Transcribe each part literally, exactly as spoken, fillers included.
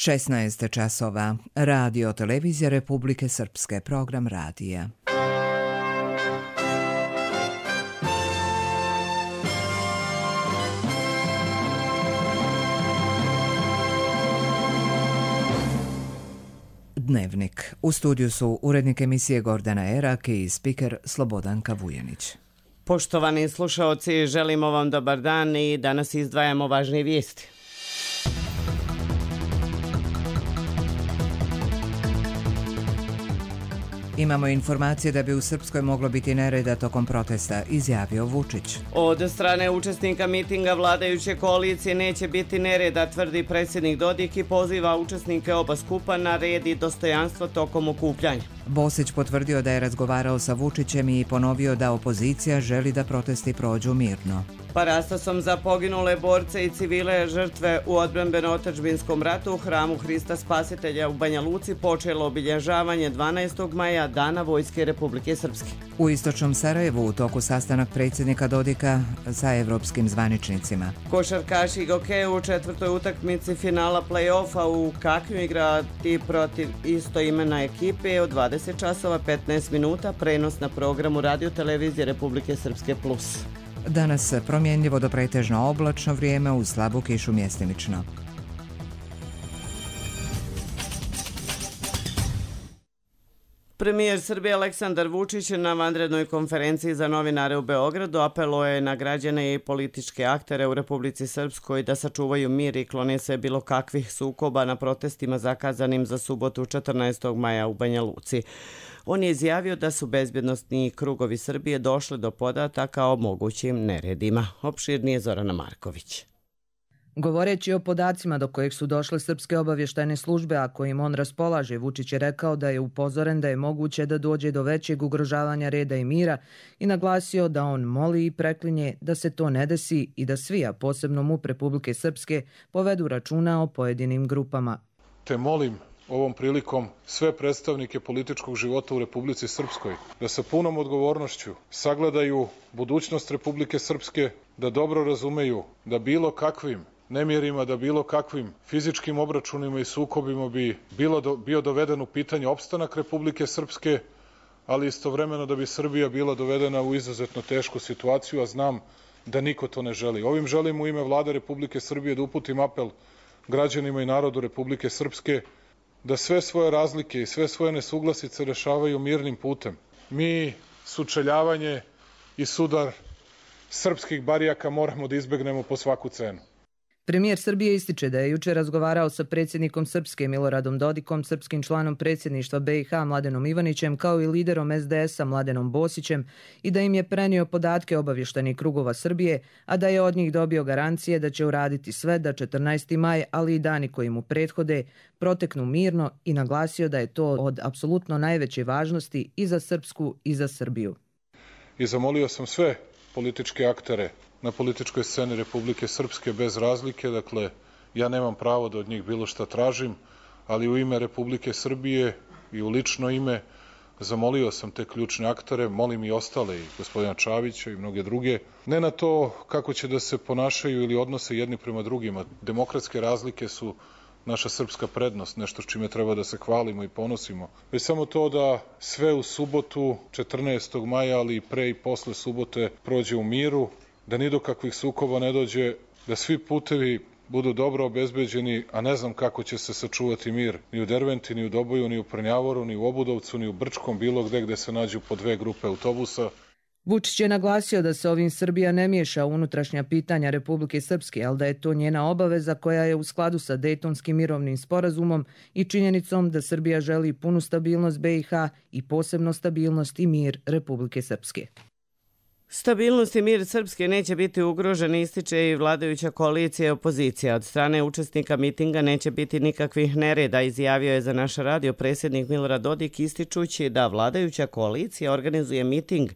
šesnaest časova. Radio Televizija Republike Srpske, program radija. Dnevnik. U studiju su urednik emisije Gordana Erak i spiker Slobodanka Vujanić. Poštovani slušaoci, želimo vam dobar dan i danas izdvajamo važne vijesti. Imamo informacije da bi u Srpskoj moglo biti nereda tokom protesta, izjavio Vučić. Od strane učesnika mitinga vladajuće koalicije neće biti nereda, tvrdi predsjednik Dodik i poziva učesnike oba skupa na red i dostojanstvo tokom okupljanja. Bosić potvrdio da je razgovarao sa Vučićem i ponovio da opozicija želi da protesti prođu mirno. Parastosom za poginule borce i civile žrtve u odbrambeno-otadžbinskom ratu u hramu Hrista Spasitelja u Banja Luci počelo obilježavanje dvanaestog maja, Dana Vojske Republike Srpske. U istočnom Sarajevu u toku sastanak predsjednika Dodika sa evropskim zvaničnicima. Košarkaši i gokeju u četvrtoj utakmici finala play-offa u Kaknju igrati protiv istoimena ekipe od dvadeset časova petnaest minuta, prenos na programu Radio Televizije Republike Srpske plus. Danas promjenljivo do pretežno oblačno vrijeme uz slabu kišu mjestimično. Premijer Srbije Aleksandar Vučić na vanrednoj konferenciji za novinare u Beogradu apelovao je na građane i političke aktere u Republici Srpskoj da sačuvaju mir i klone se bilo kakvih sukoba na protestima zakazanim za subotu četrnaestog maja u Banja Luci. On je izjavio da su bezbjednostni krugovi Srbije došli do podataka o mogućim neredima. Opširnije Zorana Marković. Govoreći o podacima do kojih su došle srpske obavještajne službe, a kojim on raspolaže, Vučić je rekao da je upozoren da je moguće da dođe do većeg ugrožavanja reda i mira i naglasio da on moli i preklinje da se to ne desi i da svi, a posebno MUP Republike Srpske, povedu računa o pojedinim grupama. Te molim ovom prilikom sve predstavnike političkog života u Republici Srpskoj da sa punom odgovornošću sagledaju budućnost Republike Srpske, da dobro razumeju da bilo kakvim nemirima, da bilo kakvim fizičkim obračunima i sukobima bi bilo do, bio doveden u pitanje opstanak Republike Srpske, ali istovremeno da bi Srbija bila dovedena u izuzetno tešku situaciju, a znam da niko to ne želi. Ovim želim u ime Vlade Republike Srbije da uputim apel građanima i narodu Republike Srpske da sve svoje razlike i sve svoje nesuglasice rešavaju mirnim putem. Mi sučeljavanje i sudar srpskih barijaka moramo da izbegnemo po svaku cenu. Premijer Srbije ističe da je juče razgovarao sa predsjednikom Srpske Miloradom Dodikom, srpskim članom predsjedništva B i H Mladenom Ivanićem kao i liderom S D S-a Mladenom Bosićem i da im je prenio podatke obavještajnih krugova Srbije, a da je od njih dobio garancije da će uraditi sve da četrnaesti maj, ali i dani koji mu prethode, proteknu mirno i naglasio da je to od apsolutno najveće važnosti i za Srpsku i za Srbiju. I zamolio sam sve političke aktere na političkoj sceni Republike Srpske bez razlike, dakle, ja nemam pravo da od njih bilo šta tražim, ali u ime Republike Srbije i u lično ime zamolio sam te ključne aktere, molim i ostale, i gospodina Čavića i mnoge druge, ne na to kako će da se ponašaju ili odnose jedni prema drugima. Demokratske razlike su naša srpska prednost, nešto s čime treba da se hvalimo i ponosimo. Već samo to da sve u subotu, četrnaestog maja, ali i pre i posle subote prođe u miru, da ni do kakvih sukoba ne dođe, da svi putevi budu dobro obezbeđeni, a ne znam kako će se sačuvati mir ni u Derventi, ni u Doboju, ni u Prnjavoru, ni u Obudovcu, ni u Brčkom, bilo gde gde se nađu po dve grupe autobusa. Vučić je naglasio da se ovim Srbija ne miješa u unutrašnja pitanja Republike Srpske, ali da je to njena obaveza koja je u skladu sa Dejtonskim mirovnim sporazumom i činjenicom da Srbija želi punu stabilnost B i H i posebno stabilnost i mir Republike Srpske. Stabilnost i mir Srpske neće biti ugrožen, ističe i vladajuća koalicija i opozicija. Od strane učesnika mitinga neće biti nikakvih nereda, izjavio je za naš radio predsjednik Milorad Dodik, ističući da vladajuća koalicija organizuje miting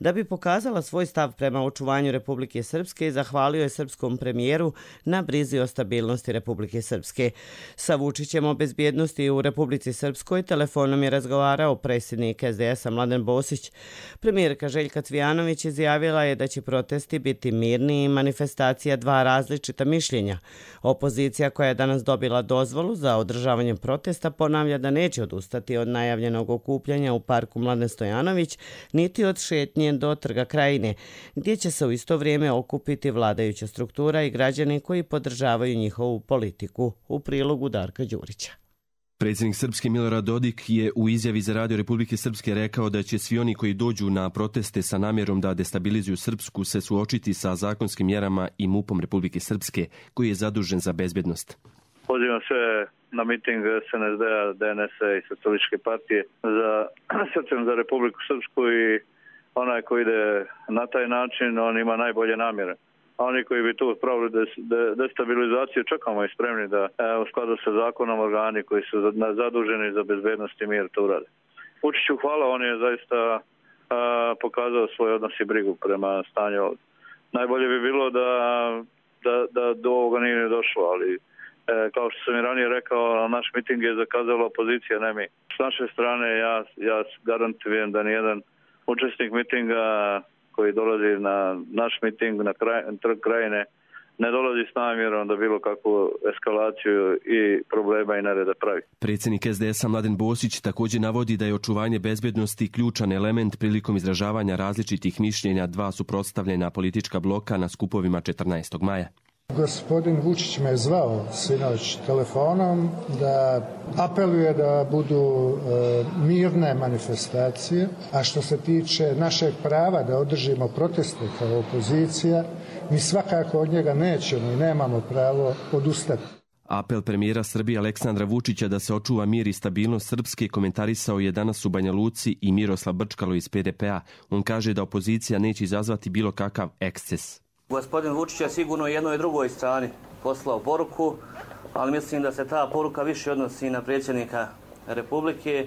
da bi pokazala svoj stav prema očuvanju Republike Srpske i zahvalio je srpskom premijeru na brizi o stabilnosti Republike Srpske. Sa Vučićem o bezbjednosti u Republici Srpskoj telefonom je razgovarao predsjednik S D S-a Mladen Bosić. Premijerka Željka Cvijanović izjavila izjavila je da će protesti biti mirni i manifestacija dva različita mišljenja. Opozicija koja je danas dobila dozvolu za održavanje protesta ponavlja da neće odustati od najavljenog okupljanja u parku Mladen Stojanović, niti od šetnje do Trga Krajine, gdje će se u isto vrijeme okupiti vladajuća struktura i građani koji podržavaju njihovu politiku. U prilogu Darka Đurića. Predsjednik Srpske Milorad Dodik je u izjavi za Radio Republike Srpske rekao da će svi oni koji dođu na proteste sa namjerom da destabilizuju Srpsku se suočiti sa zakonskim mjerama i MUP-om Republike Srpske, koji je zadužen za bezbjednost. Pozivam sve na miting S N S D-a, D N S-a i Socijalističke partije za Srcem za Republiku Srpsku i onaj koji ide na taj način, on ima najbolje namjere. A oni koji bi tu pravili destabilizaciju, čekamo i spremni da u skladu sa zakonom organi koji su zaduženi za bezbednost i mir to urade. Vučiću hvala, on je zaista a, pokazao svoj odnos i brigu prema stanju ovdje. Najbolje bi bilo da, da, da do ovoga nije došlo, ali e, kao što sam i ranije rekao, naš miting je zakazala opozicija, ne mi. S naše strane ja, ja garantujem da nijedan učesnik mitinga koji dolazi na naš miting na kraj, Trg Krajine ne dolazi s namjerom da bilo kakvu eskalaciju i problema i nereda pravi. Predsjednik S D S-a Mladen Bosić također navodi da je očuvanje bezbjednosti ključan element prilikom izražavanja različitih mišljenja dva suprotstavljena politička bloka na skupovima četrnaestog maja. Gospodin Vučić me je zvao sinoć telefonom da apeluje da budu e, mirne manifestacije, a što se tiče našeg prava da održimo proteste kao opozicija, mi svakako od njega nećemo i nemamo pravo odustati. Apel premijera Srbije Aleksandra Vučića da se očuva mir i stabilnost Srpske komentarisao je danas u Banja Luci i Miroslav Brčkalo iz P D P-a. On kaže da opozicija neće izazvati bilo kakav eksces. Gospodin Vučić je sigurno jednoj i drugoj strani poslao poruku, ali mislim da se ta poruka više odnosi na predsjednika Republike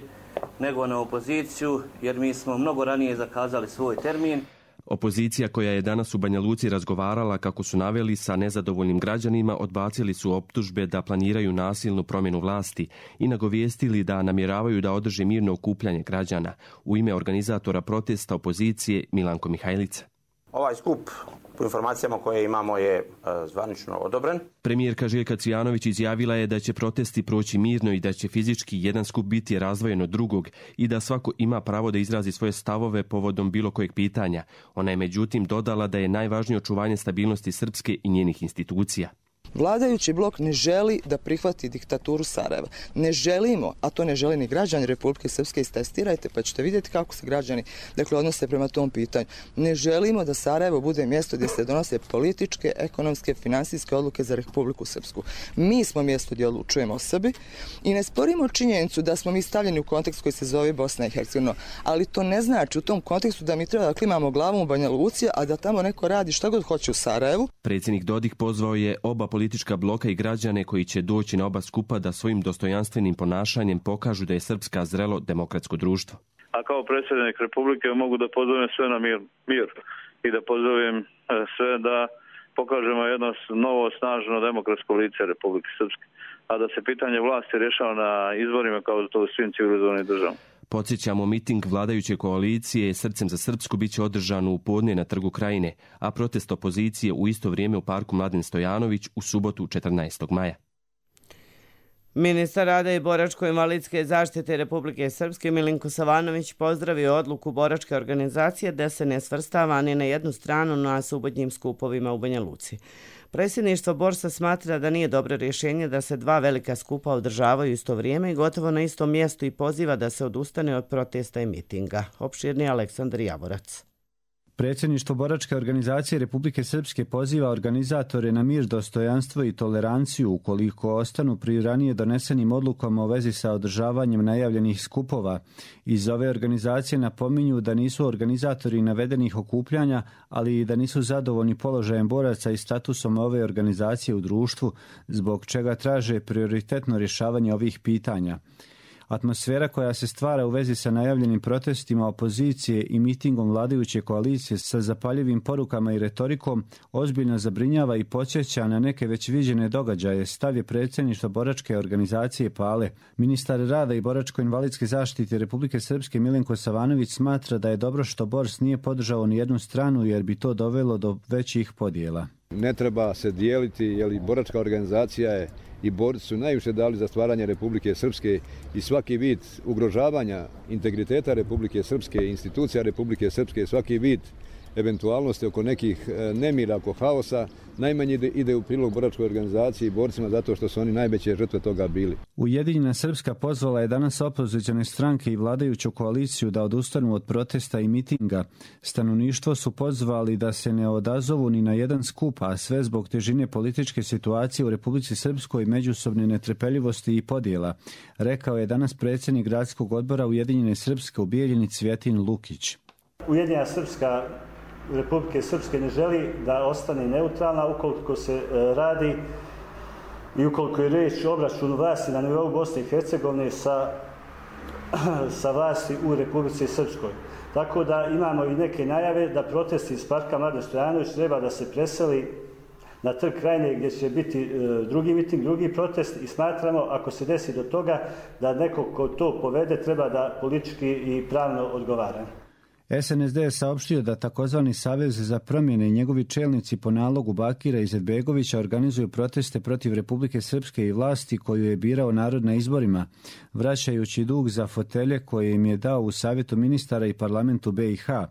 nego na opoziciju, jer mi smo mnogo ranije zakazali svoj termin. Opozicija koja je danas u Banja Luci razgovarala, kako su naveli, sa nezadovoljnim građanima, odbacili su optužbe da planiraju nasilnu promjenu vlasti i nagovijestili da namjeravaju da održe mirno okupljanje građana. U ime organizatora protesta opozicije Milanko Mihajlica. Ovaj skup, po informacijama koje imamo, je zvanično odobren. Premijerka Željka Cvijanović izjavila je da će protesti proći mirno i da će fizički jedan skup biti razdvojen od drugog i da svako ima pravo da izrazi svoje stavove povodom bilo kojeg pitanja. Ona je međutim dodala da je najvažnije očuvanje stabilnosti Srpske i njenih institucija. Vladajući blok ne želi da prihvati diktaturu Sarajeva. Ne želimo, a to ne želi ni građani Republike Srpske, istestirajte pa ćete vidjeti kako se građani dakle, odnose prema tom pitanju. Ne želimo da Sarajevo bude mjesto gdje se donose političke, ekonomske, finansijske odluke za Republiku Srpsku. Mi smo mjesto gdje odlučujemo o sebi i ne sporimo činjenicu da smo mi stavljeni u kontekst koji se zove Bosna i Hercegovina, ali to ne znači u tom kontekstu da mi treba da klimamo glavom u Banja Luci, a da tamo neko radi šta god hoće u Sarajevu. Predsjednik Dodik pozvao je oba politička bloka i građane koji će doći na oba skupa da svojim dostojanstvenim ponašanjem pokažu da je Srpska zrelo demokratsko društvo. A kao predsjednik Republike mogu da pozovem sve na mir, mir i da pozovem sve da pokažemo jedno novo, snažno demokratsko lice Republike Srpske, a da se pitanje vlasti rješava na izborima kao to u svim civilizovanim državama. Podsjećamo, miting vladajuće koalicije Srcem za Srpsku bit će održan u podne na Trgu Krajine, a protest opozicije u isto vrijeme u parku Mladen Stojanović u subotu četrnaestog maja. Ministar rada i boračko-invalidske zaštite Republike Srpske Milinko Savanović pozdravio odluku boračke organizacije da se ne svrstava ni na jednu stranu na subotnjim skupovima u Banja Luci. Predsjedništvo Borsa smatra da nije dobro rješenje da se dva velika skupa održavaju isto vrijeme i gotovo na istom mjestu i poziva da se odustane od protesta i mitinga. Opširni Aleksandar Javorac. Predsjedništvo boračke organizacije Republike Srpske poziva organizatore na mir, dostojanstvo i toleranciju ukoliko ostanu pri ranije donesenim odlukama u vezi sa održavanjem najavljenih skupova. Iz ove organizacije napominju da nisu organizatori navedenih okupljanja, ali i da nisu zadovoljni položajem boraca i statusom ove organizacije u društvu, zbog čega traže prioritetno rješavanje ovih pitanja. Atmosfera koja se stvara u vezi sa najavljenim protestima opozicije i mitingom vladajuće koalicije sa zapaljivim porukama i retorikom ozbiljno zabrinjava i podsjeća na neke već viđene događaje, stav je predsjedništva boračke organizacije PALE. Ministar rada i boračko-invalidske zaštite Republike Srpske Milenko Savanović smatra da je dobro što Bors nije podržao ni jednu stranu jer bi to dovelo do većih podjela. Ne treba se dijeliti, jer boračka organizacija je i borci su najviše dali za stvaranje Republike Srpske i svaki vid ugrožavanja integriteta Republike Srpske, institucija Republike Srpske, svaki vid eventualnosti oko nekih nemira, oko haosa, najmanje ide, ide u prilog boračkoj organizaciji i borcima zato što su oni najveće žrtve toga bili. Ujedinjena Srpska pozvala je danas opozicione stranke i vladajuću koaliciju da odustanu od protesta i mitinga. Stanovništvo su pozvali da se ne odazovu ni na jedan skup, a sve zbog težine političke situacije u Republici Srpskoj, međusobne netrpeljivosti i podjela, rekao je danas predsjednik gradskog odbora Ujedinjene Srpske u Bijeljini Cvjetin Lukić. Ujedinjena Srpska Republike Srpske ne želi da ostane neutralna ukoliko se radi i ukoliko je riječ o obračunu vlasti na nivou Bosne i Hercegovine sa, sa vlasti u Republici Srpskoj. Tako da imamo i neke najave da protesti iz parka Mladen Stojanović treba da se preseli na Trg Krajine gdje će biti drugi miting, drugi protest i smatramo ako se desi do toga da neko ko to povede treba da politički i pravno odgovara. S N S D je saopštio da takozvani Savez za promjene i njegovi čelnici po nalogu Bakira Izetbegovića organizuju proteste protiv Republike Srpske i vlasti koju je birao narod na izborima, vraćajući dug za fotelje koje im je dao u Savjetu ministara i parlamentu B i H.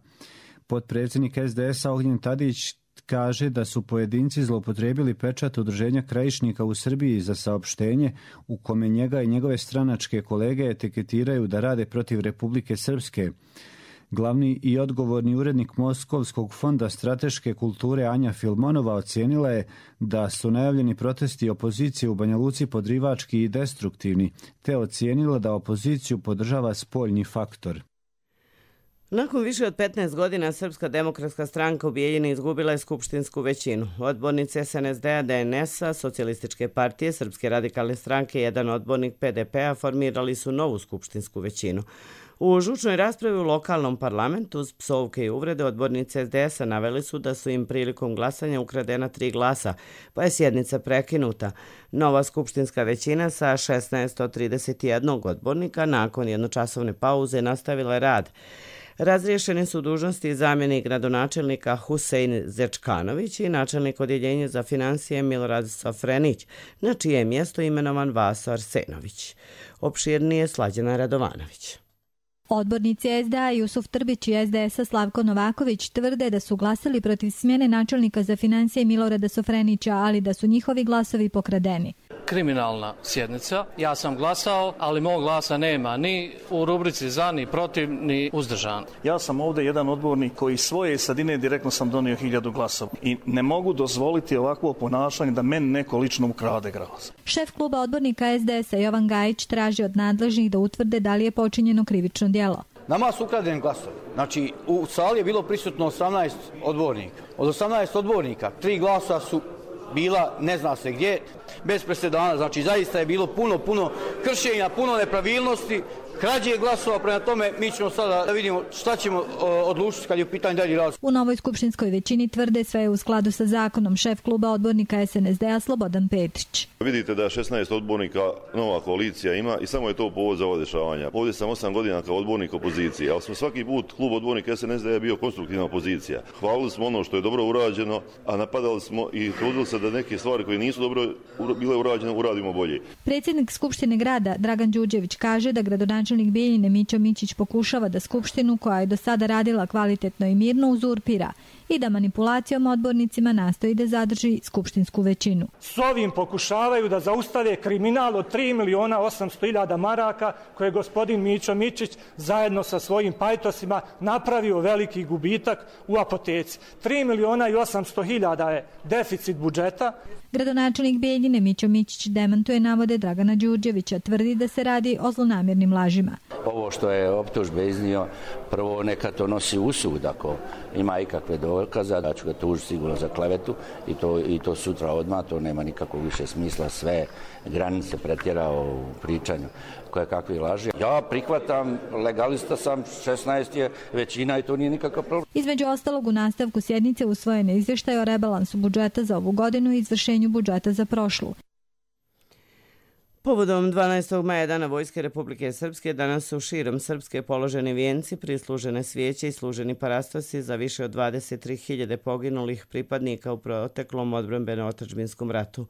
Potpredsjednik S D S-a Ognjen Tadić kaže da su pojedinci zloupotrijebili pečat Udruženja krajišnika u Srbiji za saopštenje u kome njega i njegove stranačke kolege etiketiraju da rade protiv Republike Srpske. Glavni i odgovorni urednik Moskovskog fonda strateške kulture Anja Filmonova ocijenila je da su najavljeni protesti opozicije u Banja Luci podrivački i destruktivni, te ocijenila da opoziciju podržava spoljni faktor. Nakon više od petnaest godina Srpska demokratska stranka u Bijeljini izgubila je skupštinsku većinu. Odbornici S N S D-a, D N S-a, Socijalističke partije, Srpske radikalne stranke i jedan odbornik P D P-a formirali su novu skupštinsku većinu. U žučnoj raspravi u lokalnom parlamentu uz psovke i uvrede odbornici S D S-a naveli su da su im prilikom glasanja ukradena tri glasa, pa je sjednica prekinuta. Nova skupštinska većina sa šesnaest od trideset jedan odbornika nakon jednočasovne pauze nastavila je rad. Razriješeni su dužnosti zamjenik gradonačelnika Husein Zečkanović i načelnik odjeljenja za financije Milorad Sofrenić, na čije je mjesto imenovan Vaso Arsenović. Opširnije Slađana Radovanović. Odbornici S D A Jusuf Trbić i S D S-a Slavko Novaković tvrde da su glasali protiv smjene načelnika za financije Milorada Sofrenića, ali da su njihovi glasovi pokradeni. Kriminalna sjednica. Ja sam glasao, ali mog glasa nema ni u rubrici za, ni protiv, ni uzdržan. Ja sam ovdje jedan odbornik koji svoje sadine direktno sam donio hiljadu glasova i ne mogu dozvoliti ovakvo ponašanje da meni neko lično ukrade glas. Šef kluba odbornika S D S-a Jovan Gajić traži od nadležnih da utvrde da li je počinjeno krivično djelo. Nama su ukradeni glasovi. Znači, u sali je bilo prisutno osamnaest odbornika. Od osamnaest odbornika, tri glasa su bila ne zna se gdje, bez presedana. Znači, zaista je bilo puno, puno kršenja, puno nepravilnosti, krađe glasova, prema tome mi ćemo sada da vidimo šta ćemo odlučiti kad je u pitanju dalji razvoj. U novoj skupštinskoj većini tvrde sve je u skladu sa zakonom. Šef kluba odbornika S N S D-a Slobodan Petrić. Vidite da šesnaest odbornika nova koalicija ima i samo je to povod za ovo dešavanja. Ovdje sam osam godina kao odbornik opozicije, ali smo svaki put klub odbornika S N S D-a bio konstruktivna opozicija. Hvalili smo ono što je dobro urađeno, a napadali smo i trudili se da neke stvari koje nisu dobro bile urađene uradimo bolje. Predsjednik Skupštine grada Dragan Đurđević kaže da gradonačelnik Bijeljine Mićo Mićić pokušava da skupštinu koja je do sada radila kvalitetno i mirno uzurpira i da manipulacijom odbornicima nastoji da zadrži skupštinsku većinu. S ovim pokušavaju da zaustave kriminal od tri miliona osamsto hiljada maraka koje je gospodin Mićo Mićić zajedno sa svojim pajtosima napravio veliki gubitak u apoteci. tri miliona i osamsto hiljada je deficit budžeta. Gradonačelnik Bijeljine Mićo Mićić demantuje navode Dragana Đurđevića, tvrdi da se radi o zlonamjernim lažima. Ovo što je optužbe iznio, prvo neka to nosi usud ako ima ikakve dokaze. dokaza, da ću ga tužiti sigurno za klevetu i to, i to sutra odmah, to nema nikakvog više smisla, sve granice pretjerao u pričanju koje kakvi laži. Ja prihvatam, legalista sam, šesnaest je većina i to nije nikakav problem. Između ostalog, u nastavku sjednice usvojen je izvještaj o rebalansu budžeta za ovu godinu i izvršenju budžeta za prošlu. Povodom dvanaestog maja Dana Vojske Republike Srpske danas su širom Srpske položeni vijenci, prislužene svijeće i služeni parastosi za više od dvadeset tri hiljade poginulih pripadnika u proteklom odbrambeno-otadžbinskom ratu.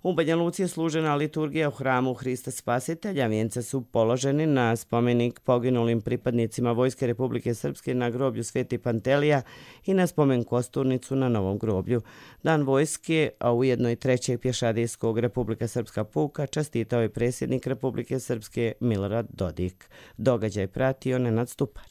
U Banja Luci je služena liturgija u hramu Hrista Spasitelja. Vijence su položeni na spomenik poginulim pripadnicima Vojske Republike Srpske na groblju Sveti Pantelija i na spomen kosturnicu na Novom groblju. Dan vojske, a ujedno i trećeg pješadijskog Republika Srpska puka, častitao je predsjednik Republike Srpske Milorad Dodik. Događaj pratio Nenad Stupar.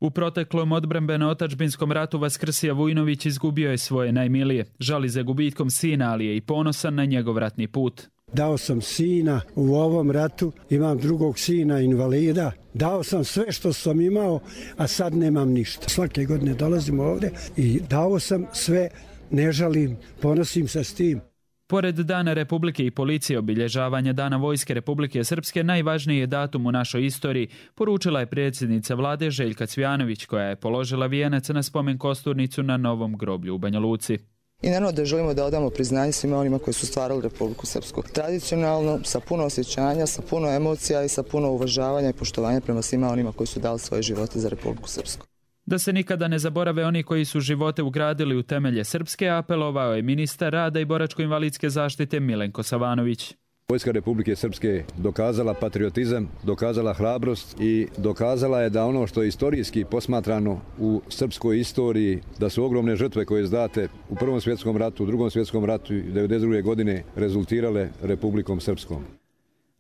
U proteklom odbrambeno-otadžbinskom ratu Vaskrsija Vujnović izgubio je svoje najmilije. Žali za gubitkom sina, ali je i ponosan na njegov ratni put. Dao sam sina u ovom ratu, imam drugog sina invalida. Dao sam sve što sam imao, a sad nemam ništa. Svake godine dolazim ovdje i dao sam sve, ne žalim, ponosim se s tim. Pored Dana Republike i policije, obilježavanja Dana Vojske Republike Srpske najvažniji je datum u našoj istoriji, poručila je predsjednica vlade Željka Cvijanović, koja je položila vijenac na spomen kosturnicu na Novom groblju u Banja Luci. I naravno da želimo da odamo priznanje svima onima koji su stvarali Republiku Srpsku. Tradicionalno, sa puno osjećanja, sa puno emocija i sa puno uvažavanja i poštovanja prema svima onima koji su dali svoje živote za Republiku Srpsku. Da se nikada ne zaborave oni koji su živote ugradili u temelje Srpske, apelovao je ministar rada i boračko-invalidske zaštite Milenko Savanović. Vojska Republike Srpske dokazala patriotizam, dokazala hrabrost i dokazala je da ono što je istorijski posmatrano u srpskoj istoriji, da su ogromne žrtve koje izdate u Prvom svjetskom ratu, u Drugom svjetskom ratu i devedeset druge godine rezultirale Republikom Srpskom.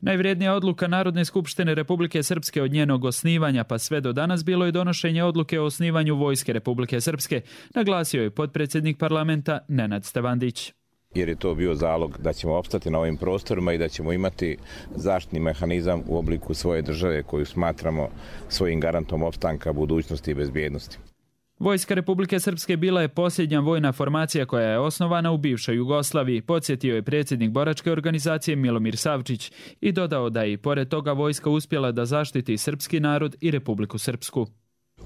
Najvrijednija odluka Narodne skupštine Republike Srpske od njenog osnivanja pa sve do danas bilo je donošenje odluke o osnivanju Vojske Republike Srpske, naglasio je potpredsjednik parlamenta Nenad Stevandić. Jer je to bio zalog da ćemo opstati na ovim prostorima i da ćemo imati zaštitni mehanizam u obliku svoje države koju smatramo svojim garantom opstanka, budućnosti i bezbjednosti. Vojska Republike Srpske bila je posljednja vojna formacija koja je osnovana u bivšoj Jugoslaviji, podsjetio je predsjednik boračke organizacije Milomir Savčić i dodao da je i pored toga vojska uspjela da zaštiti srpski narod i Republiku Srpsku.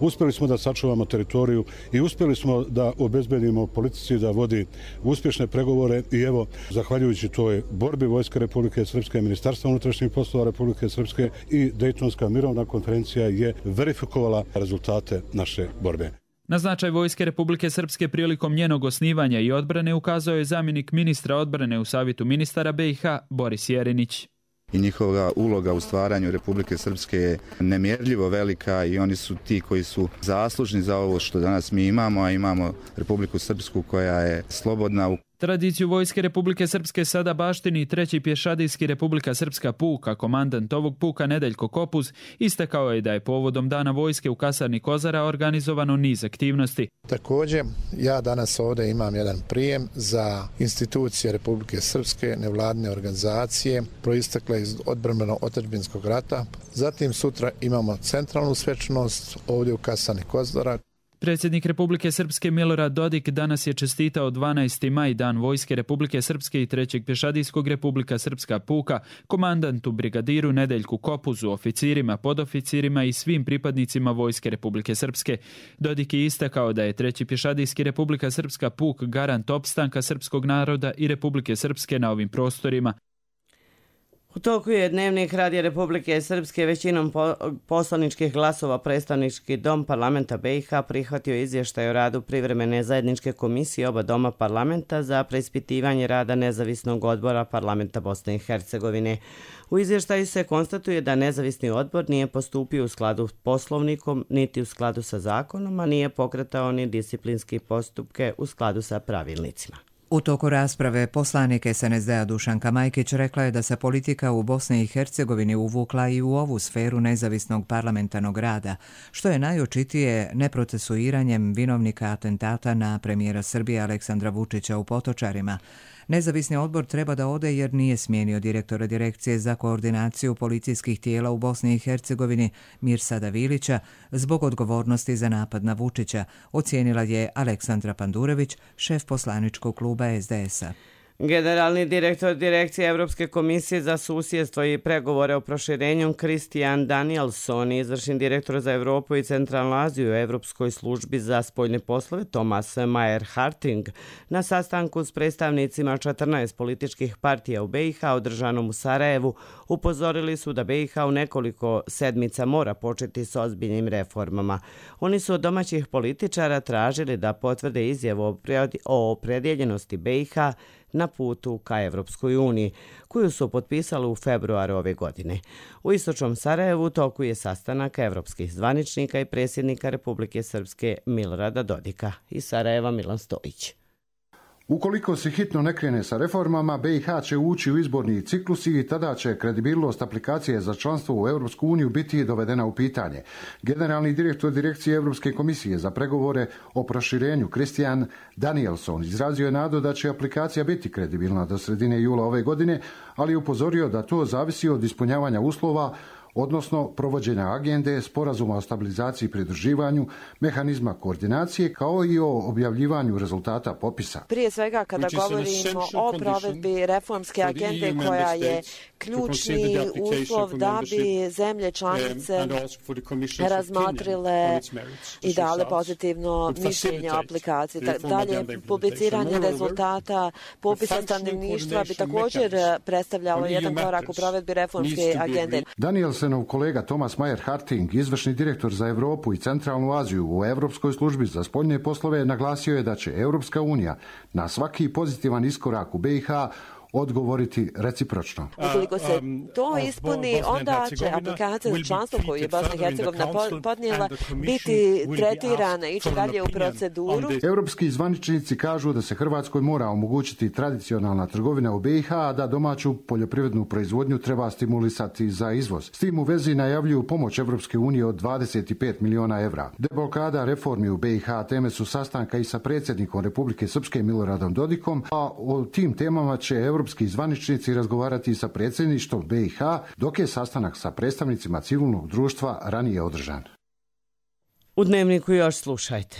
Uspjeli smo da sačuvamo teritoriju i uspjeli smo da obezbedimo politici da vodi uspješne pregovore i evo, zahvaljujući toj borbi Vojske Republike Srpske, Ministarstva unutrašnjih poslova Republike Srpske i Dejtonska mirovna konferencija je verifikovala rezultate naše borbe. Na značaj Vojske Republike Srpske prilikom njenog osnivanja i odbrane ukazao je zamjenik ministra odbrane u Savjetu ministara B i H Boris Jerinić. I njihova uloga u stvaranju Republike Srpske je nemjerljivo velika i oni su ti koji su zaslužni za ovo što danas mi imamo, a imamo Republiku Srpsku koja je slobodna. Tradiciju Vojske Republike Srpske sada baštini treći pješadijski Republika Srpska puk, a komandant ovog puka Nedeljko Kopuz istakao je da je povodom Dana Vojske u kasarni Kozara organizovano niz aktivnosti. Također, ja danas ovdje imam jedan prijem za institucije Republike Srpske, nevladine organizacije, proistekle iz odbrambeno-otadžbinskog rata. Zatim sutra imamo centralnu svečanost ovdje u kasarni Kozara. Predsjednik Republike Srpske Milorad Dodik danas je čestitao dvanaesti maj Dan Vojske Republike Srpske i trećeg pješadijskog Republika Srpska puka, komandantu brigadiru Nedeljku Kopuzu, oficirima, podoficirima i svim pripadnicima Vojske Republike Srpske. Dodik je istakao da je treći pješadijski Republika Srpska puk garant opstanka srpskog naroda i Republike Srpske na ovim prostorima. U toku je Dnevnik Radija Republike Srpske većinom poslaničkih glasova predstavnički dom parlamenta B i H prihvatio izvještaj o radu privremene zajedničke komisije oba doma parlamenta za preispitivanje rada nezavisnog odbora parlamenta Bosne i Hercegovine. U izvještaju se konstatuje da nezavisni odbor nije postupio u skladu s poslovnikom niti u skladu sa zakonom, a nije pokretao ni disciplinski postupke u skladu sa pravilnicima. U toku rasprave poslanik S N S D-a Dušanka Majkić rekla je da se politika u Bosni i Hercegovini uvukla i u ovu sferu nezavisnog parlamentarnog rada, što je najočitije neprocesuiranjem vinovnika atentata na premijera Srbije Aleksandra Vučića u Potočarima. Nezavisni odbor treba da ode jer nije smijenio direktora Direkcije za koordinaciju policijskih tijela u Bosni i Hercegovini Mirsada Vilića zbog odgovornosti za napad na Vučića, ocijenila je Aleksandra Pandurević, šef poslaničkog kluba es de es a. Generalni direktor Direkcije Evropske komisije za susjedstvo i pregovore o proširenju Christian Danielson i izvršni direktor za Evropu i Centralnu Aziju u Evropskoj službi za spoljne poslove Thomas Mayer-Harting na sastanku s predstavnicima četrnaest političkih partija u be i ha održanom u Sarajevu upozorili su da be i ha u nekoliko sedmica mora početi s ozbiljnim reformama. Oni su od domaćih političara tražili da potvrde izjavu o opredjeljenosti be i ha na putu ka Evropskoj uniji, koju su potpisali u februaru ove godine. U istočnom Sarajevu toku je sastanak evropskih zvaničnika i predsjednika Republike Srpske Milorada Dodika. Iz Sarajeva Milan Stojić. Ukoliko se hitno ne krene sa reformama, be i ha će ući u izborni ciklus i tada će kredibilnost aplikacije za članstvo u Europsku uniju biti dovedena u pitanje. Generalni direktor Direkcije Europske komisije za pregovore o proširenju Christian Danielson izrazio je nadu da će aplikacija biti kredibilna do sredine jula ove godine, ali je upozorio da to zavisi od ispunjavanja uslova, odnosno provođenja agende, sporazuma o stabilizaciji i pridruživanju, mehanizma koordinacije, kao i o objavljivanju rezultata popisa. Prije svega, kada govorimo o provedbi reformske agende koja je ključni uslov da bi zemlje članice razmotrile i dale pozitivno mišljenje o aplikaciji. Dalje, publiciranje rezultata popisa stanovništva bi također predstavljalo jedan korak u provedbi reformske agende. Danielsenov kolega Thomas Mayer-Harting, izvršni direktor za Evropu i Centralnu Aziju u Evropskoj službi za spoljne poslove, naglasio je da će Europska unija na svaki pozitivan iskorak u be i ha odgovoriti recipročno. Ukoliko se to ispuni, onda će aplikacija za članstvo koju je Bosna i Hercegovina podnijela biti tretirana i ići dalje u proceduru. Europski zvaničnici kažu da se Hrvatskoj mora omogućiti tradicionalna trgovina u be i ha, a da domaću poljoprivrednu proizvodnju treba stimulisati za izvoz. S tim u vezi najavljuju pomoć Evropske unije od dvadeset pet miliona evra. Deblokada reformi u be i ha teme su sastanka i sa predsjednikom Republike Srpske Miloradom Dodikom, a o tim temama će Evropski zvaničnici razgovarati sa predsjedništvom be i ha, dok je sastanak sa predstavnicima civilnog društva ranije održan. U Dnevniku još slušajte.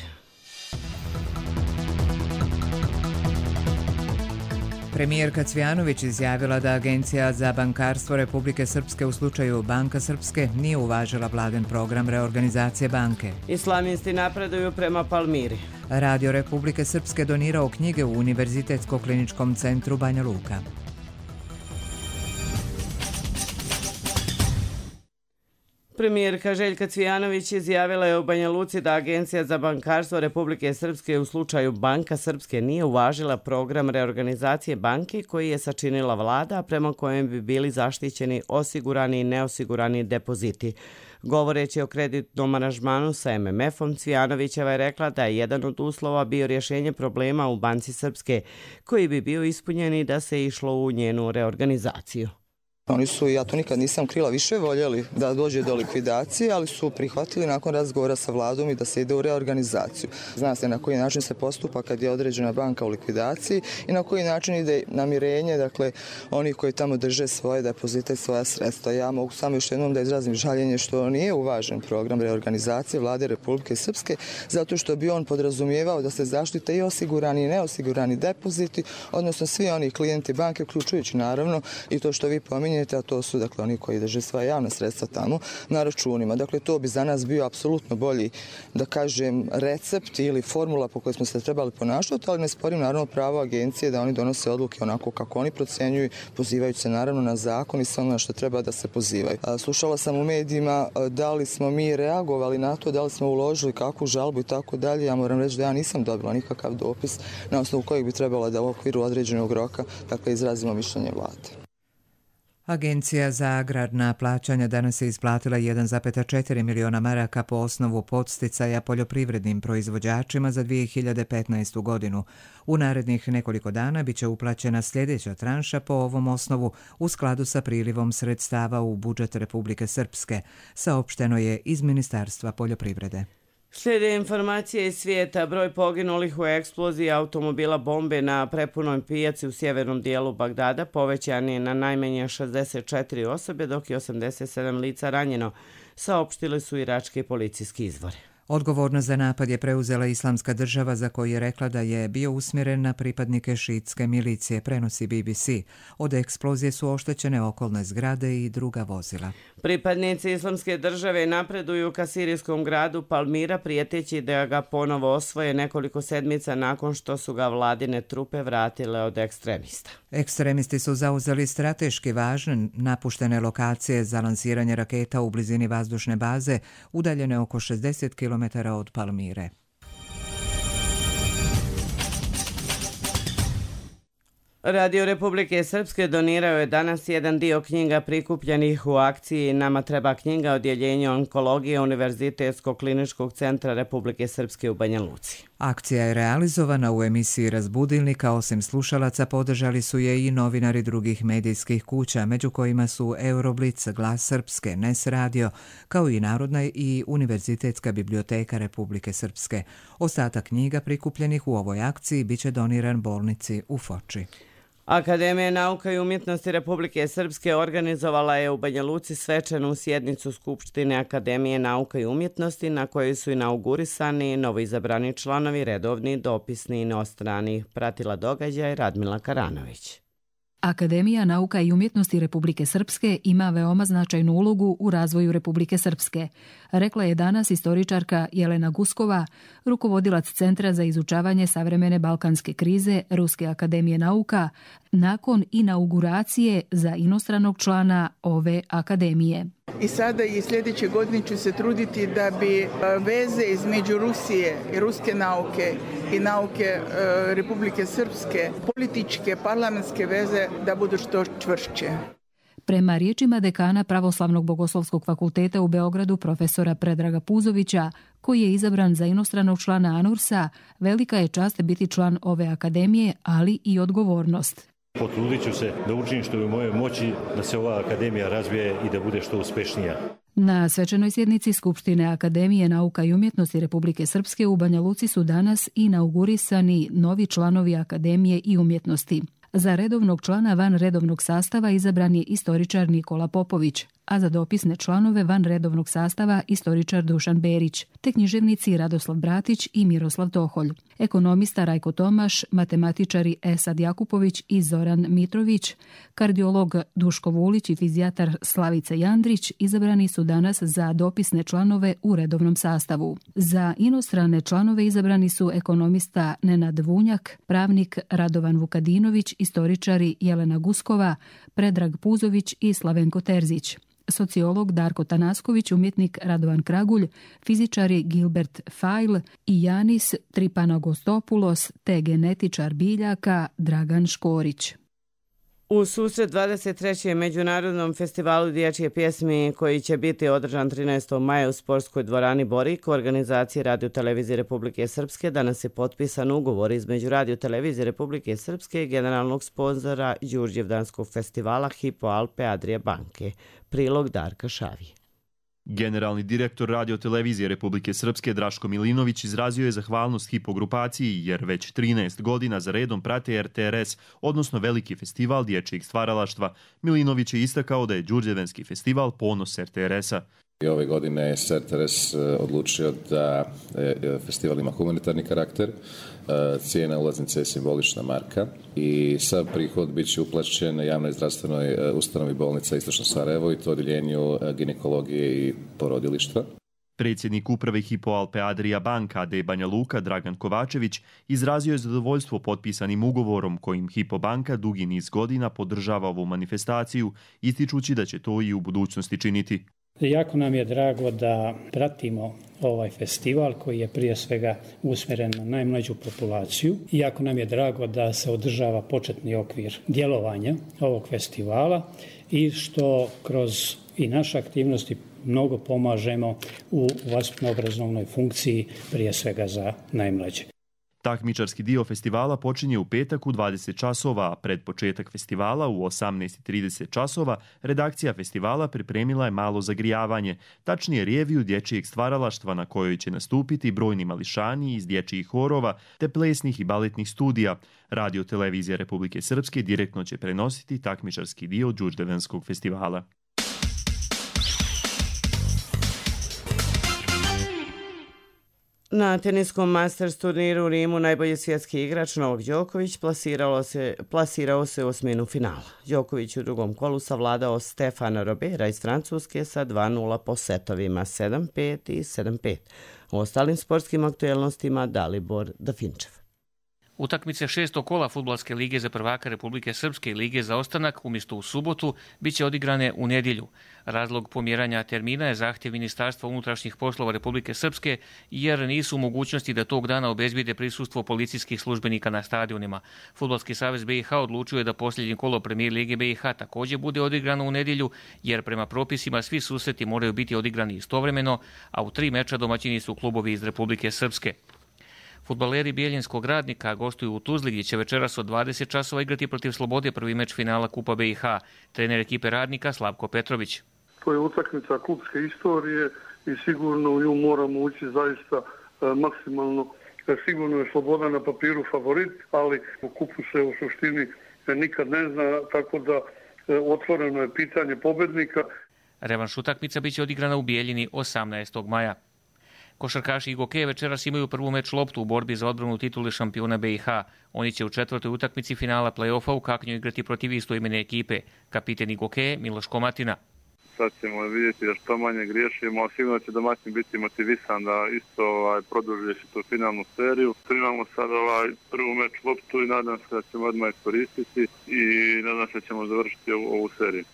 Premijerka Cvjanović izjavila da Agencija za bankarstvo Republike Srpske u slučaju Banka Srpske nije uvažila vladin program reorganizacije banke. Islamisti napreduju prema Palmiri. Radio Republike Srpske donirao knjige u Univerzitetsko-kliničkom centru Banja Luka. Premijerka Željka Cvijanović izjavila je u Banja Luci da Agencija za bankarstvo Republike Srpske u slučaju Banka Srpske nije uvažila program reorganizacije banke koji je sačinila vlada, prema kojem bi bili zaštićeni osigurani i neosigurani depoziti. Govoreći o kreditnom aranžmanu sa em em efom, Cvijanovićeva je rekla da je jedan od uslova bio rješenje problema u Banci Srpske, koji bi bio ispunjen i da se išlo u njenu reorganizaciju. Oni su, ja to nikad nisam krila, više voljeli da dođe do likvidacije, ali su prihvatili nakon razgovora sa vladom i da se ide u reorganizaciju. Zna se na koji način se postupa kad je određena banka u likvidaciji i na koji način ide namirenje, dakle, oni koji tamo drže svoje depozite i svoja sredstva. Ja mogu samo još jednom da izrazim žaljenje što nije uvažen program reorganizacije vlade Republike Srpske, zato što bi on podrazumijevao da se zaštite i osigurani i neosigurani depoziti, odnosno svi oni klijenti banke, uključujući naravno i to što vi pominjete, a to su dakle oni koji drže svoja javna sredstva tamo na računima. Dakle, to bi za nas bio apsolutno bolji, da kažem, recept ili formula po kojoj smo se trebali ponašati, ali ne sporim naravno pravo agencije da oni donose odluke onako kako oni procjenjuju, pozivajući se naravno na zakon i sve ono što treba da se pozivaju. Slušala sam u medijima da li smo mi reagovali na to, da li smo uložili kakvu žalbu i tako dalje. Ja moram reći da ja nisam dobila nikakav dopis na osnovu kojeg bi trebala da u okviru određenog roka dakle izrazimo mišljenje vlade. Agencija za agrarna plaćanja danas je isplatila jedan zarez četiri miliona maraka po osnovu podsticaja poljoprivrednim proizvođačima za dvije hiljade petnaestu godinu. U narednih nekoliko dana biće uplaćena sljedeća tranša po ovom osnovu u skladu sa prilivom sredstava u budžet Republike Srpske, saopšteno je iz Ministarstva poljoprivrede. Slijede informacije iz svijeta. Broj poginulih u eksploziji automobila bombe na prepunoj pijaci u sjevernom dijelu Bagdada povećan je na najmanje šezdeset četiri osobe, dok je osamdeset sedam lica ranjeno, saopštili su irački policijski izvori. Odgovornost za napad je preuzela Islamska država, za koju je rekla da je bio usmjeren na pripadnike šiitske milicije, prenosi B B C. Od eksplozije su oštećene okolne zgrade i druga vozila. Pripadnici Islamske države napreduju ka sirijskom gradu Palmira, prijeteći da ga ponovo osvoje nekoliko sedmica nakon što su ga vladine trupe vratile od ekstremista. Ekstremisti su zauzeli strateški važne napuštene lokacije za lansiranje raketa u blizini vazdušne baze, udaljene oko šezdeset kilometara od Palmire. Radio Republike Srpske donirao je danas jedan dio knjiga prikupljenih u akciji Nama treba knjiga odjeljenja onkologije Univerzitetskog kliničkog centra Republike Srpske u Banja Luci. Akcija je realizovana u emisiji Razbudilnika. Osim slušalaca podržali su je i novinari drugih medijskih kuća, među kojima su Euroblic, Glas Srpske, Nes Radio, kao i Narodna i Univerzitetska biblioteka Republike Srpske. Ostatak knjiga prikupljenih u ovoj akciji biće doniran bolnici u Foči. Akademija nauka i umjetnosti Republike Srpske organizovala je u Banja Luci svečanu sjednicu Skupštine Akademije nauka i umjetnosti, na kojoj su inaugurisani novoizabrani članovi, redovni, dopisni i inostrani. Pratila događaj Radmila Karanović. Akademija nauka i umjetnosti Republike Srpske ima veoma značajnu ulogu u razvoju Republike Srpske, rekla je danas istoričarka Jelena Guskova, rukovodilac Centra za izučavanje savremene balkanske krize Ruske akademije nauka, nakon inauguracije za inostranog člana ove akademije. I sada i sljedeće godine ću se truditi da bi veze između Rusije i ruske nauke i nauke Republike Srpske, političke, parlamentske veze, da budu što čvršće. Prema riječima dekana Pravoslavnog bogoslovskog fakulteta u Beogradu profesora Predraga Puzovića, koji je izabran za inostranog člana ANURS-a, velika je čast biti član ove akademije, ali i odgovornost. Potrudit ću se da učinim što je u mojoj moći da se ova akademija razvije i da bude što uspješnija. Na svečanoj sjednici Skupštine Akademije nauka i umjetnosti Republike Srpske u Banja Luci su danas inaugurisani novi članovi Akademije i umjetnosti. Za redovnog člana van redovnog sastava izabran je istoričar Nikola Popović, a za dopisne članove van redovnog sastava istoričar Dušan Berić, te književnici Radoslav Bratić i Miroslav Toholj. Ekonomista Rajko Tomaš, matematičari Esad Jakupović i Zoran Mitrović, kardiolog Duško Vulić i fizijatar Slavica Jandrić izabrani su danas za dopisne članove u redovnom sastavu. Za inostrane članove izabrani su ekonomista Nenad Vunjak, pravnik Radovan Vukadinović, istoričari Jelena Guskova, Predrag Puzović i Slavenko Terzić, sociolog Darko Tanasković, umjetnik Radovan Kragulj, fizičari Gilbert Fajl i Janis Tripanagostopoulos te genetičar biljaka Dragan Škorić. U susret dvadeset trećem Međunarodnom festivalu dječje pjesmi, koji će biti održan trinaestog maja u sportskoj dvorani Borik, u organizaciji Radio-televizije Republike Srpske, danas je potpisan ugovor između Radio-televizije Republike Srpske i generalnog sponzora Đurđevdanskog festivala Hypo Alpe Adria banke. Prilog Darka Šavije. Generalni direktor Radio-televizije Republike Srpske Draško Milinović izrazio je zahvalnost Hypo grupaciji jer već trinaest godina za redom prate R T R S, odnosno Veliki festival dječjeg stvaralaštva. Milinović je istakao da je Đurđevdanski festival ponos R T R S-a. I ove godine je R T R S odlučio da festival ima humanitarni karakter, cijena ulaznice je simbolična marka i sav prihod bit će uplaćen javnoj zdravstvenoj ustanovi bolnica Istočno Sarajevo i to odjeljenju ginekologije i porodilišta. Predsjednik uprave Hypo Alpe Adria banka A D Banja Luka Dragan Kovačević izrazio je zadovoljstvo potpisanim ugovorom kojim Hypo banka dugi niz godina podržava ovu manifestaciju, ističući da će to i u budućnosti činiti. Jako nam je drago da pratimo ovaj festival koji je prije svega usmjeren na najmlađu populaciju. Jako nam je drago da se održava početni okvir djelovanja ovog festivala i što kroz i naše aktivnosti mnogo pomažemo u vaspitno-obrazovnoj funkciji prije svega za najmlađe. Takmičarski dio festivala počinje u petak u dvadeset časova, a pred početak festivala u osamnaest i trideset časova redakcija festivala pripremila je malo zagrijavanje, tačnije reviju dječjeg stvaralaštva na kojoj će nastupiti brojni mališani iz dječjih horova te plesnih i baletnih studija. Radio Televizija Republike Srpske direktno će prenositi takmičarski dio Đurđevdanskog festivala. Na teniskom Masters turniru u Rimu najbolji svjetski igrač Novak Đoković plasirao se, plasirao se u osminu finala. Đoković u drugom kolu savladao Stefana Robera iz Francuske sa dva nula po setovima sedam pet i sedam pet. U ostalim sportskim aktuelnostima Dalibor Dafinčev. Utakmice šestog kola Fudbalske lige za prvaka Republike Srpske i Lige za ostanak umjesto u subotu biće odigrane u nedjelju. Razlog pomjeranja termina je zahtjev Ministarstva unutrašnjih poslova Republike Srpske jer nisu u mogućnosti da tog dana obezbijede prisustvo policijskih službenika na stadionima. Fudbalski savez B i H odlučio je da posljednje kolo Premijer Lige B i H također bude odigrano u nedjelju jer prema propisima svi susreti moraju biti odigrani istovremeno, a u tri meča domaćini su klubovi iz Republike Srpske. Fudbaleri Bijeljinskog Radnika gostuju u Tuzli gdje će večeras od dvadeset časova igrati protiv Slobode prvi meč finala Kupa B i H. Trener ekipe Radnika Slavko Petrović. To je utakmica klubske istorije i sigurno u nju moramo ući zaista e, maksimalno. E, sigurno je Sloboda na papiru favorit, ali u kupu se u suštini e, nikad ne zna, tako da e, otvoreno je pitanje pobednika. Revanš utakmica biće odigrana u Bijeljini osamnaestog maja. Košarkaši Igoke večeras imaju prvu meč loptu u borbi za odbranu titule šampiona B i H. Oni će u četvrtoj utakmici finala play-offa u Kaknju igrati protiv istoimene ekipe. Kapiten Igoke Miloš Komatina. Sad ćemo vidjeti da što manje griješimo, a sigurno će domaćin biti motivisan da isto ovaj, produži tu finalnu seriju. Tu imamo sad ovaj, prvu meč loptu i nadam se da ćemo odmah iskoristiti i nadam se da ćemo završiti ovu, ovu seriju.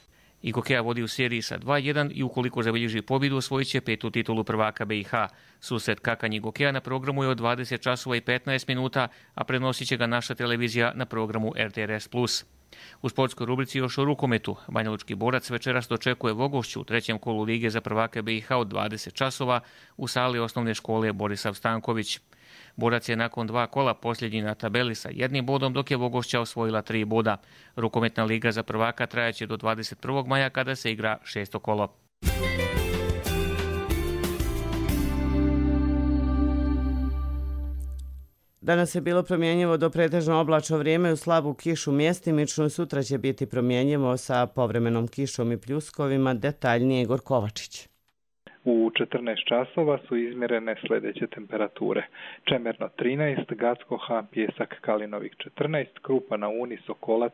Igokea vodi u seriji sa dva jedan i ukoliko zabilježi pobjedu osvojit će petu titulu prvaka B i H. Susret Kakanj Igokea na programu je od dvadeset časova i petnaest minuta, a prenosit će ga naša televizija na programu R T R S plus. U sportskoj rubrici još o rukometu. Banjalučki Borac večeras dočekuje Vogošću u trećem kolu Lige za prvaka B i H od dvadeset časova u sali osnovne škole Borisav Stanković. Borac je nakon dva kola posljednji na tabeli sa jednim bodom, dok je Vogošća osvojila tri boda. Rukometna liga za prvaka trajaće do dvadeset prvog maja kada se igra šesto kolo. Danas je bilo promjenjivo do pretežno oblačno vrijeme u slabu kišu mjestimično. Sutra će biti promjenjivo sa povremenom kišom i pljuskovima. Detaljnije Igor Kovačić. U četrnaest časova su izmjerene sljedeće temperature. Čemerno trinaest, Gacko, Han, Pjesak, Kalinovik četrnaest, Krupa na Uni, Sokolac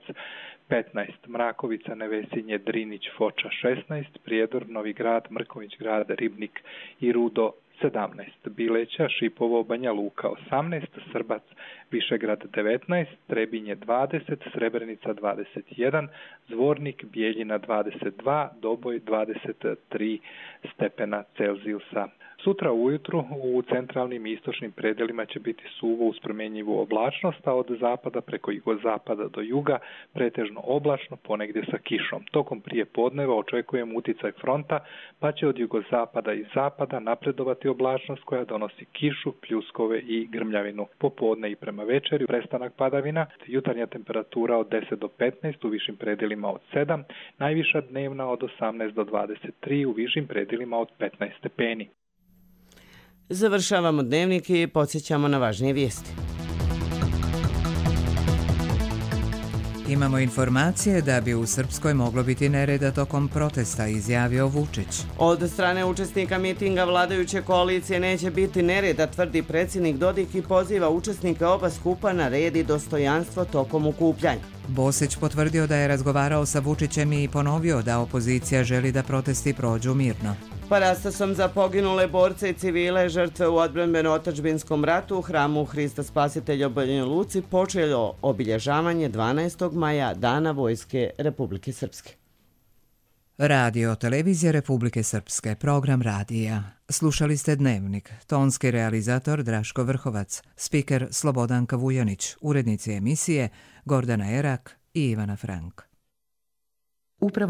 petnaest, Mrakovica, Nevesinje, Drinić, Foča šesnaest, Prijedor, Novi Grad, Mrković Grad, Ribnik i Rudo sedamnaest, Bileća, Šipovo, Banja Luka osamnaest, Srbac, Višegrad devetnaest, Trebinje dvadeset, Srebrenica dvadeset jedan, Zvornik, Bijeljina dvadeset dva, Doboj dvadeset tri stepena Celzijusa. Sutra ujutru u centralnim i istočnim predelima će biti suvo uz promjenjivu oblačnost, a od zapada preko jugozapada do juga pretežno oblačno, ponegdje sa kišom. Tokom prije podneva očekujem uticaj fronta, pa će od jugozapada i zapada napredovati oblačnost koja donosi kišu, pljuskove i grmljavinu. Popodne i prema večeri prestanak padavina, jutarnja temperatura od deset do petnaest, u višim predelima od sedam, najviša dnevna od osamnaest do dvadeset tri, u višim predelima od petnaest stepeni. Završavamo dnevnik i podsjećamo na važnije vijesti. Imamo informacije da bi u Srpskoj moglo biti nereda tokom protesta, izjavio Vučić. Od strane učesnika mitinga vladajuće koalicije neće biti nereda, tvrdi predsjednik Dodik i poziva učesnike oba skupa na red i dostojanstvo tokom okupljanja. Bosić potvrdio da je razgovarao sa Vučićem i ponovio da opozicija želi da protesti prođu mirno. Parastasom za poginule borce i civile žrtve u odbrambeno-otadžbinskom ratu u hramu Hrista Spasitelja u Banja Luci počelo obilježavanje dvanaestog maja Dana Vojske Republike Srpske. Radio Televizija Republike Srpske, program radija. Slušali ste Dnevnik, tonski realizator Draško Vrhovac, spiker Slobodanka Vujanić, urednici emisije Gordana Erak i Ivana Frank. Upravo